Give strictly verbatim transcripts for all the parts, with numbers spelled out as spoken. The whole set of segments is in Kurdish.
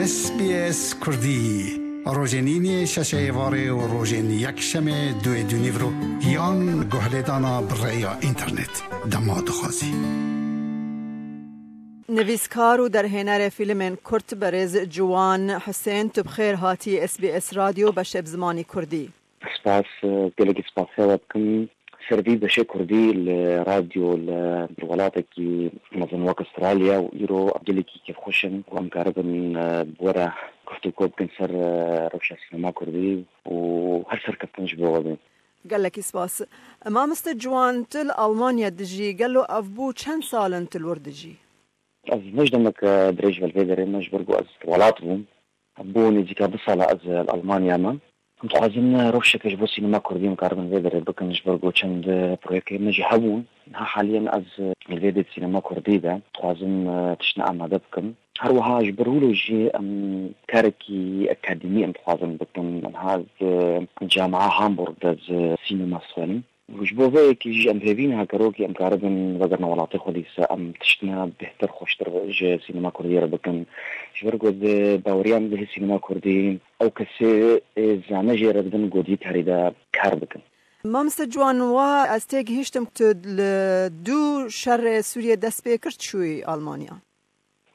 S B S Kurdî. Rojên înê şeşê êvarê û rojên yekşemê duê dûnîvro yan guhlêdana bi rêya înternet. Dema dixwazî. Nivîskar û derhênerê fîlmên kurt berêz Ciwan Husên, tu bi xêr hatî S B S Radyo beşê bi zimanî kurdî. Spas, gelekî spas xewa dikim. Ser vî beşê kurdî li radyo li welatekî mezin wek Australya û îro gelekî kêfxweş in ku em karibin, e, bi we re guftûgo bikin ser, e, rewşa sînema kurdî û her serkeftin ji bo we be. Gelekî spas. Mamoste Ciwan, tu li Almanya dijî, gelo ev bû çend sal in tu li wir dijî? Ez ne ji demeke dirêj ve li vê derê me, ji ber ku ez welat bûm. Bû nêzîka du sala ez li Almanya me. Em dixwazin rewşeke ji bo sînema kurdî em karibin vê derê bikin, ji ber ku çend proyekê me jî hebûn. Niha haliyen ez li vê dê sînema kurdî de dixwazim, e, tiştine amade bikim. Her wiha ji ber wilo jî em karekî akademî em dixwazin bikin. Niha ez, e, Camia Hamburg de ez sînema dixwînim. Ji bo vê yekê jî em hêvî ne, hegerokî em karibin vegerine welatê xwe, dîsa em tiştine bêhtir, xweştir ji sînema kurdî re bikin. Ji ber ku di baweriya min de hê sînema kurdî ew kesê ê zane jê re dibin ku di karî de kar bikin. Mamoste Ciwan, wa ez têgihîştim tu li dû şerê Sûriyê dest pê kir çûyî Almanya.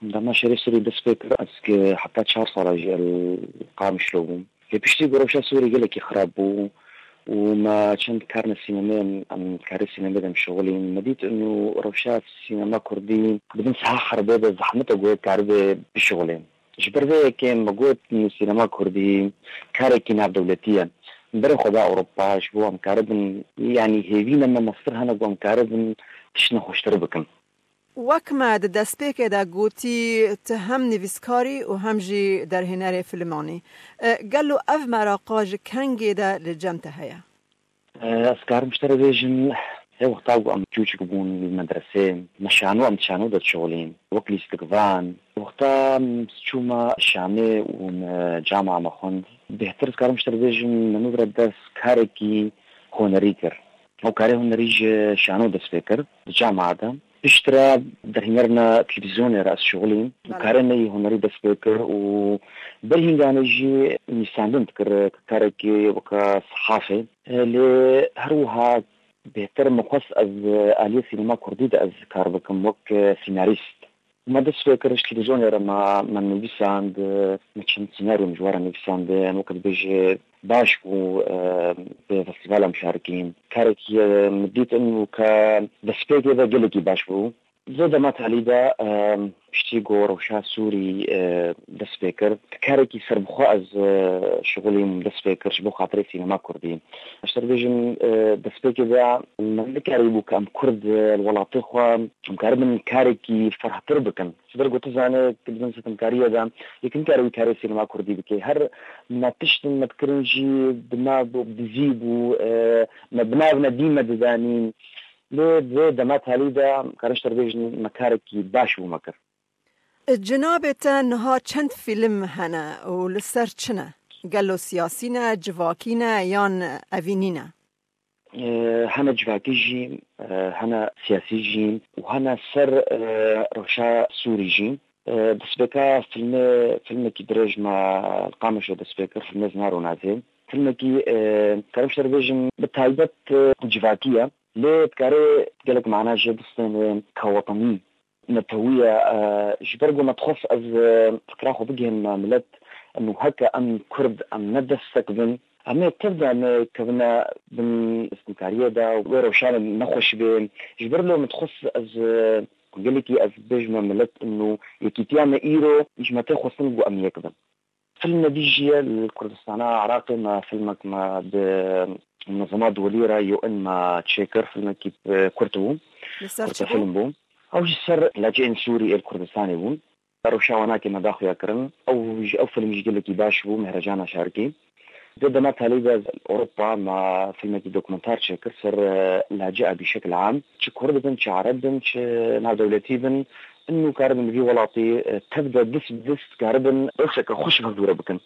Dema şerê Sûrî dest pê kir, ez ki heta çar sala jî li Qamişlo bûm. Lê piştî ku rewşa Sûrî gelekî xirab bû û me çend karine sînemê em, em karê sînemê de em şixulîn. Me dît inu rewşa sînema kurdî bi bin siha xeribê de zehmet e ku yek karibe bişixulê. Ji ber vê yekê me got, inu sînema kurdî karekî navdewletî ye. Berê xwe da Ewropa, ji bo em karibin, yanî hêvî ne me mestir hene ku em karibin tiştine xweştir bikin. Wek me di destpêkê de gotî, tu hem nivîskar î û hem jî derhênerê filiman î. E, gelo ev meraqa ji kengê de li cem te heye? E, ez karim ji te re bêjim, hê wexta ku em çûçik bûn li medresê, me şano, em di şano de dişixulîn, wek lîstikvan. Wexta em çûme Şamê û me cama me xwend, bêhtir ez karim ji te re bêjim, me nû re dest karekî hunerî kir. Ew karê hunerî ji şano dest pê kir, di cama de. Piştre derhênerina televîzyonê re ez şixulîm û Belê. Karê me yî hunerî dest pê kir û berhîngane jî nivîsandin dikir, karekî weke sehafê. Lê her wiha bêhtir min xwest ez aliyê sînema kurdî de ez kar bikim wek sînarîst. Me dest pê kir, ji televîzyonê re me, me nivîsand, me çend sînaryo min ji we re nivîsandin, weke dibêje baş bû, e, bi festîvala em şarikîn. Karekî, e, min dît in û ke destpêkê de gelekî baş bû. Di vê dema talî de, e, piştî ku rewşa Sûrî, e, dest pê kir, karekî serbixwe ez, e, şixulîm dest pê kir ji bo xatirê sînema kurdî. Ez te dibêjim, e, destpêkê de me nikarîbû ke em kurd, e, li welatê xwe em karibin karekî ferhtir bikin. Ji ber ku tu zanî, tu di bin sitemkariyê de yek nikare wî karê sînema kurdî bike. Her me tiştin me dikirin jî bi nav bû, bi dizî bû, e, me bi nav nedî me didanîn. Lê di vê dema talî de, karin ji te re bêjin, me karekî baş bû me kir. Cinabê te niha çend fîlm hene û li ser çi ne? Gelo siyasî ne, civakî ne yan evînî ne? E, hene civakî jî, e, hene siyasî jî û hene ser, e, rewşa Sûrî jî. E, destpêka filmê, filmekî dirêj me li Qamişlo dest pê kir, filmê Zinar û Nazê. Filmekî, e, karim ji te re bêjim, bi taybet, e, civakî ye. Lê dikarê gelek mana jê bistêne ke wetenî, netewî ye. E, ji ber ku me dixwest ez, e, fikra xwe bigihînim milet, û heke em kurd em ne destek bin, em ê tev de nekevine bin sitemkariyê de û wê rewşa nexweş bê. Ji ber lê min dixwest ez, e, gelekî ez bêjime milet û yekîtiya me îro ji me tê xwestin ku em yek bin. Filme dî jî ye li Kurdistana Iraqê me filmek me bi Munezema Duwelî re, U N, me çêkir, filmekî, e, kurt bû. Li ser çi bû? Kurtefilm bû. Ew jî ser laceyên Sûrî ê li Kurdistanê bûn. Rewşa wan a ke me daxuya kirin, ew jî, ew film jî gelekî baş bû, Mehrecana Şarkî. Di dema talî de Ewropa me filmekî dokumentar çêkir ser, e, lacê a bîşekil am. Çi kurd bin, çi ereb bin, çi navdewletî bin, inu karibin li vî welatî, e, tev de dist bi dist karibin rewşeke xweş hevdû re bikin.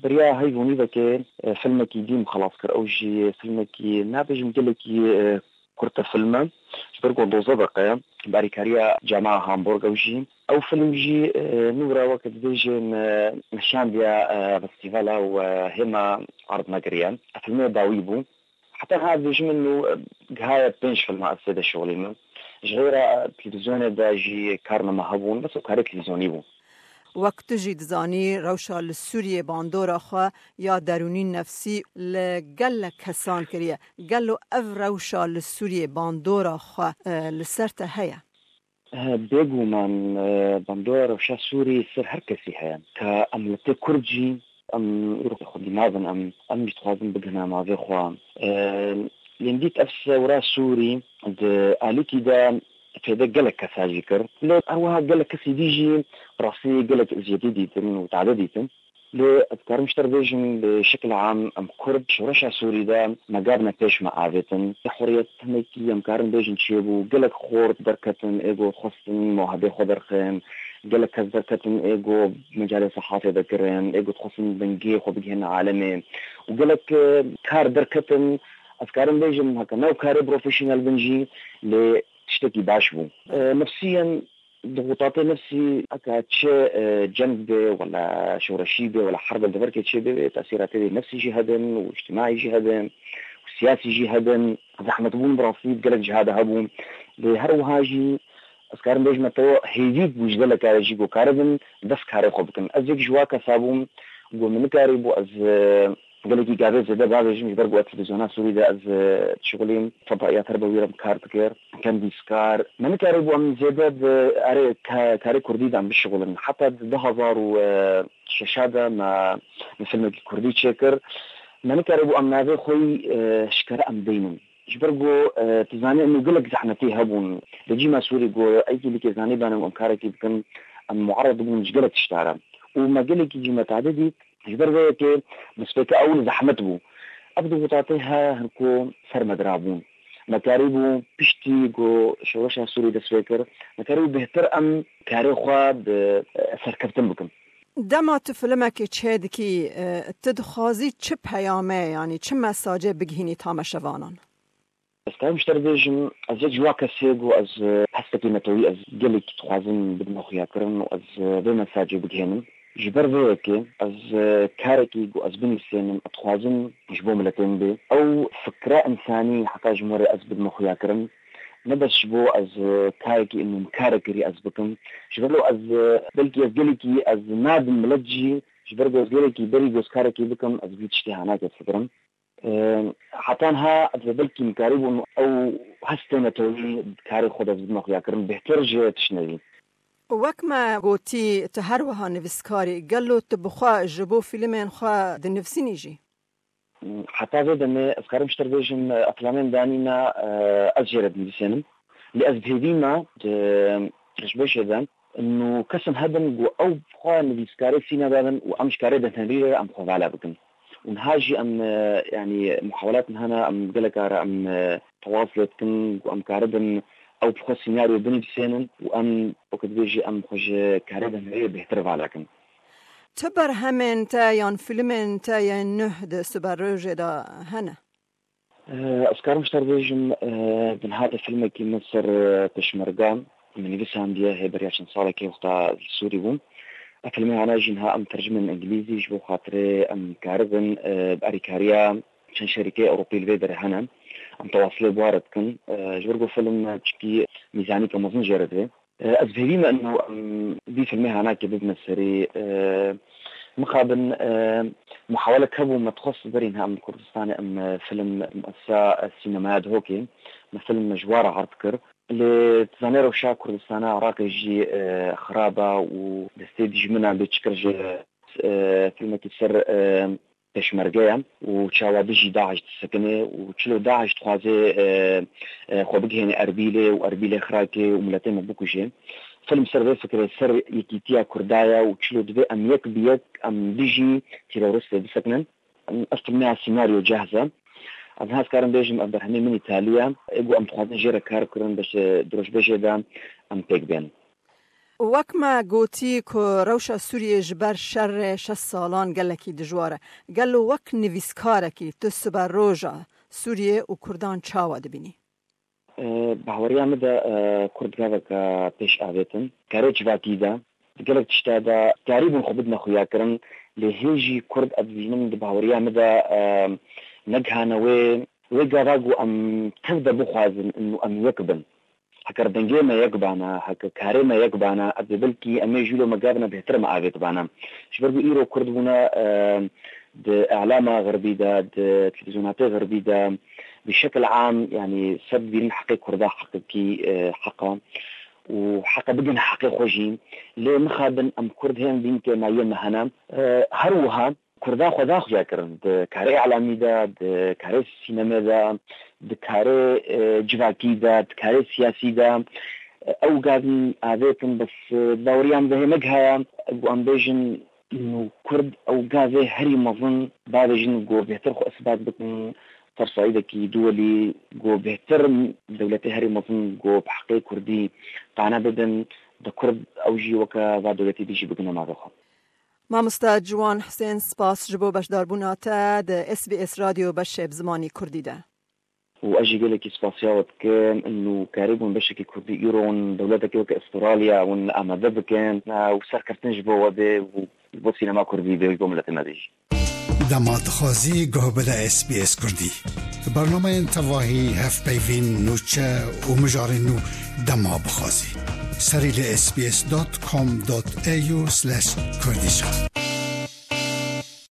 Beriya heyv û nîvekê, e, filmekî dî min xelas kir. Ew jî filmekî, nabêjim gelekî, e, kurte film e. Ji ber ku dozdeh deqe ye. bi alîkariya Camia Hamburg ew jî. Ew film jî, e, nû re weke dibêjin, e, nîşandiya, e, festîvala û, e, hêma erd negiriye. Filmê dawî bû. Heta niha dibêjim min nû, e, gihaye pênc filma ez tê de şixulînim. Ji xêra, e, televîzyonê de jî karname hebûn, bes ew karê televîzyonî bû. Wek tu jî dizanî, rewşa li Sûriyê bandora xwe ya derûnî nefsî li gelek kesan kiriye. Gelo ev rewşa li Sûriyê bandora xwe, e, li ser te heye? He, bêguman, e, bandora rewşa Sûrî ser her kesî heye. Ka em li tê Kurd jî, em îro xwedî nabin, em, em jî dixwazin bigihine navê xwe. E, Lê dît ev sewra Sûrî di alîkî de fêde gelek kesa jî kir. Lê her wiha gelek kesî dî jî rastî gelek eziyetî dîtin û tade dîtin. Lê ez dikarim ji te re bêjim, bi şekil am, em Kurd, şoreşa Sûrî de me gavne pêş me avêtin. Huriyet hinekî em karin bêjin çêbû, gelek xort derketin, ê got xwestin muhabê xwe derxin, gelek kes derketin, ê got mecalê sehafê de kirin, ê got xwestin dengê xwe bigihînin alemê. Û gelek, e, kar derketin, ez karim bêjim, heke ne karê profesyonel bin jî, lê tiştekî baş bû. E, nefsiyen, dixutatê nefsî, heke çi, e, ceng be, wela şoreşî be, wela herbe li deverkê çê be, tesîra tê de nefsî jî hebin û îctimaî jî hebin û siyasî jî hebin. Zehmetbûn bi rastî di gelek ciha de hebûn. Lê her wiha jî ez karim bêjime te hêvî bû ji gelek kare jî ku karibin dest karê xwe bikin. Ez yek ji wa kesa bûm ku min nikarîbû ez, e, gelekî gavê zêde bavêjim, ji ber ku ez televîzyona Sûrî de ez, e, dişixulîm, fedaiya te re bi wî re kar dikir, kendîskar. Me nikarîbû em zêde bi erê ka-, karê kurdî de em bişixulin. Heta di du hezar û şeş de me, me filmekî kurdî çêkir. Me nikarîbû em navê xwe yî, e, eşkere em deynin. Ji ber ku, e, tu zanî, em gelek zehmetî hebûn. Rejîma Sûrî ku ey kî dikê zanî bane em karekî bikin, em muered bûn ji gelek tişta re. Û me gelekî jî me tade dît, ji ber vê yekê destpêka ewil zehmet bû. Ev dixutatê he hin ku ser me dirabûn. Me karîbû piştî ku şoreşa Sûrî dest pê kir, me karîbû bêhtir em karê xwe bi, e, serkeftin bikin. Dema tu filimekê çêdikî, e, tu dixwazî çi peyame, yanî çi mesajê bigihînî tamaşevanan? Ez karim ji te re bêjim, ez yek ji wa kesê ku ez, e, hestekî netewî ez gelekî dixwazim bidime xuyakirin û ez, e, vê mesajê bigihênim. Ji ber vê yekê ez, e, karekî ku ez binivîsênim, ez dixwazim ji bo miletê min bê. Ew fikre însanî heta ji min re ez bidime xuyakirin. Ne bes ji bo ez, e, karekî min kare kirî ez bikim. Ji ber ez, e, belkî ez gelekî ez nadim milet jî, ji ber ku ez gelekî berî ku ez karekî bikim, ez vî tiştê hanake fikirim. E, heta niha ez belkî min karîbûn ew hestê netewî karê xwe de ez bidime xuyakirin bêhtir ji tiştnevî. Wek me gotî, tu her wiha nivîskar î. Gelo tu bi xwe ji bo fîlmên xwe dinivîsînî jî? Heta vê demê ez karim ji te re bêjim, e, eflamên danî me, e, ez jê re dinivîsênim. Lê ez bi hêvî me di rojbêjê de û kesin hebin ku ew bi xwe nivîskarê sîne bibin û em ji karê de hênerî re em xwe vala bikin. Û niha jî em, e, yanî muhawelat niha ne, em gelek cara em, e, tewas lê dikin ku em karibin ew bi xwe senaryo binivîsênin û em, weke dibêjî, em xwe ji karê de hênerî bêhtir vala kin. Ti berhemên te yan fîlmên te yên nuh di siberrojê de hene? Eh, ez karim ji te re bêjim, eh, di niha de filmekî min ser, eh, pêşmerga min nivîsandiye, hê beriya çend salekê wexta li Sûrî bûm. Ev filmê hana jî niha em tercimên îngilîzî ji bo xatirê em karibin, eh, bi alîkariya çend şerîkeyê Ewropî li vê derê hene. Em tewasilê bi wan re dikin. Eh, ji ber ku film çikî mîzanîke mezin jê re divê. Eh, ez bi hêvî me ino em vî filmê hanakê bibine serî. Eh, mixabin, eh, muhawelek hebû, me dixwest berî niha em li Kurdistanê em, eh, film muessesa, eh, sînemaya Dihokê, me film ji wan re erd kir. Lê tu zanî rewşa Kurdistana Iraqê jî, eh, xirab e û destê dijminan bê çi kir ji, eh, filmekî ser, eh, pêşmerge ye û çawa dijî DAIŞ disekine û çilo DAIŞ dixwaze, e, e, xwe bigihêne Erbîlê û Erbîlê Xirakê û miletê me bikuje. Film ser vê fikirê, ser yekîtiya Kurda ye û çilo divê em yek bi yek em dijî teroristê bisekinin. Ev filme ya senaryo cehz e. Ez niha ez karim bêjim ev berhemê min îtalî ye. Ê ku em dixwazin jê re kar bikirin, beşê dirojbêjê de em pêk bên. Wek me gotî ku rewşa Sûriyê ji ber şerê şeş salan gelekî dijwar e. Gelo wek nivîskarekî tu siberoja Sûriyê û Kurdan çawa dibînî? E, Bahweriya min de, e, Kurd gaveke pêş avêtin. Karê civakî de, di gelek tişta de karîbûn xwe bidine xuyakirin, lê hê jî Kurd, ez dibînim, di bahweriya min de, e, negihane wê, wê gava ku em tev de bixwazin û em yek bin. Heke dengê me yek bana, heke karê me yek bana, ez ê belkî em ê jî lo me gavine bêhtir me avêt bana. Ji ber ku îro Kurd bûne, e, di îlama xirbî de, di televîzyonatê xirbî de, bi şekil am, yanî ser dibînin heqê Kurda heqekî, e, heq e û heqe bigin heqê xwe jî. Lê mixabin em Kurd hê em dîn ke mayiyê me hene. E, her wiha Kurda xwe da xuya kirin di karê îlamî de, di karê sînemê de, di karê, e, civakî de, di karê siyasî de. E, ew gavin avêtin, bes, e, baweriyan vehê negihaya, ku em bêjin, û Kurd ew gavê herî mezin bavêjin ku bêhtir xwe isbat bikin ser saîdekî duwelî, ku bêhtir dewletê herî mezin ku bi heqê Kurdî qane bibin, di Kurd ew jî weke va dewletî dî jî bigine navê xwe. Mamoste Ciwan Husên, spas ji bo beşdarbûna te di S B S Radyo beşê bi zimanî Kurdî de. Û ez jî gelekî spasiya we dikim, û karîbûn beşekî Kurdî îro hûn dewletekî weke Astralya hûn amade bikin, û serkeftin ji bo we bê û ji bo sînema Kurdî bê û ji bo miletê me bê jî. Dema dixwazî guh bide S B S Kurdî. Bernameyên tevahî, hevpeyvîn, nûçe û mijarên nû dema bixwazî. Serî li S B S dot com dot A U slash Kurdish.